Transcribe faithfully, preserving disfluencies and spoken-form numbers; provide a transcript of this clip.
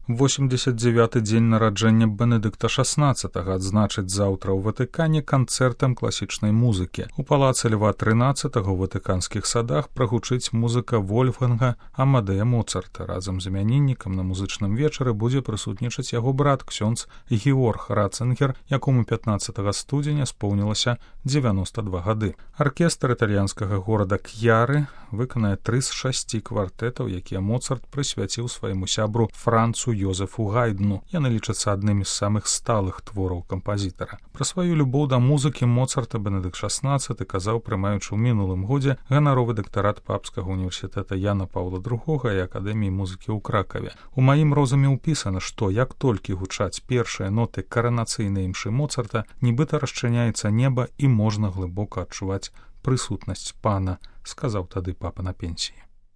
восемьдесят девяты дзень нараджэння Бенедыкта шаснаццатага адзначыць заўтра ў Ватыкане канцэртам класічнай музыкі. У палацы Льва трынаццатага ў ватыканскіх садах прагучыць музыка Вольфганга Амадэя Моцарта. Разам з імяніннікам на музычным вечары будзе прысутнічаць яго брат ксёндз Георг Рацэнгер, якому пятнаццатага студзеня споўнілася дзевяноста два гады. Аркестр італьянскага горада К'яры выканае тры з шасці квартэтаў, якія Моцарт прысвяціў свайму сябру Францу Йозефу Гайдну. Яны лічацца аднымі з самых сталых твораў кампазітара. Пра сваю любоў да музыкі Моцарта Бенедыкт шаснаццаты казаў, прымаючы ў мінулым годзе ганаровы дактарат Папскага універсітэта Яна Паўла другога і Акадэміі музыкі ў Кракаве. У маім розуме ўпісана, што як толькі гучаць першыя ноты каранацыйнай імшы Моцарта, нібыта расчыняецца неба і можна глыбока адчуваць прысутнасць пана, сказаў тады папа на пенсіі.